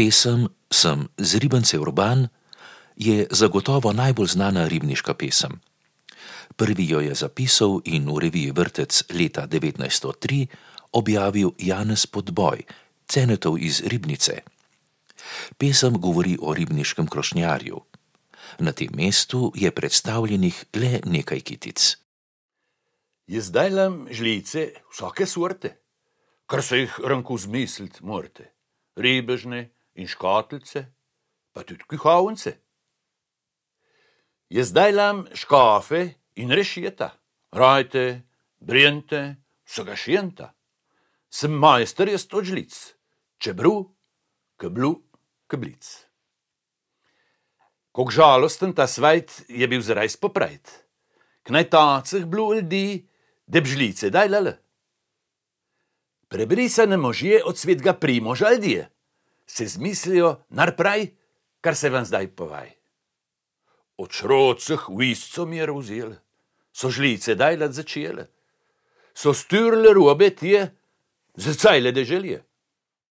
Pesem Sem z Ribence Urban je zagotovo najbolj znana ribniška pesem. Prvi jo je zapisal in v reviji Vrtec leta 1903 objavil Janez Podboj, Cenetov iz Ribnice. Pesem govori o ribniškem krošnjarju. Na tem mestu je predstavljenih le nekaj kitic. Jaz dajlam žlice vsake sorte, kar se jih ranko zmisliti morate. Ribežne in škatlice, pa tudi kuhavnice. Jaz dajlam škafe in rešeta, rajte, brjente, vsega šjenta. Sem majster jaz od žlic, čebru, keblu, keblic. Kog žalosten ta svajt je bil zarajs poprajt, k najtacih blu ljudi, deb žlice dajlale. Prebrisane možje od svetega Primoža ljudje se zmislijo narpraj, kar se vam zdaj povaj. Od šrocih visco mir vzele, so žlice dajlat začele, so styrle robe tije, za cajle deželje.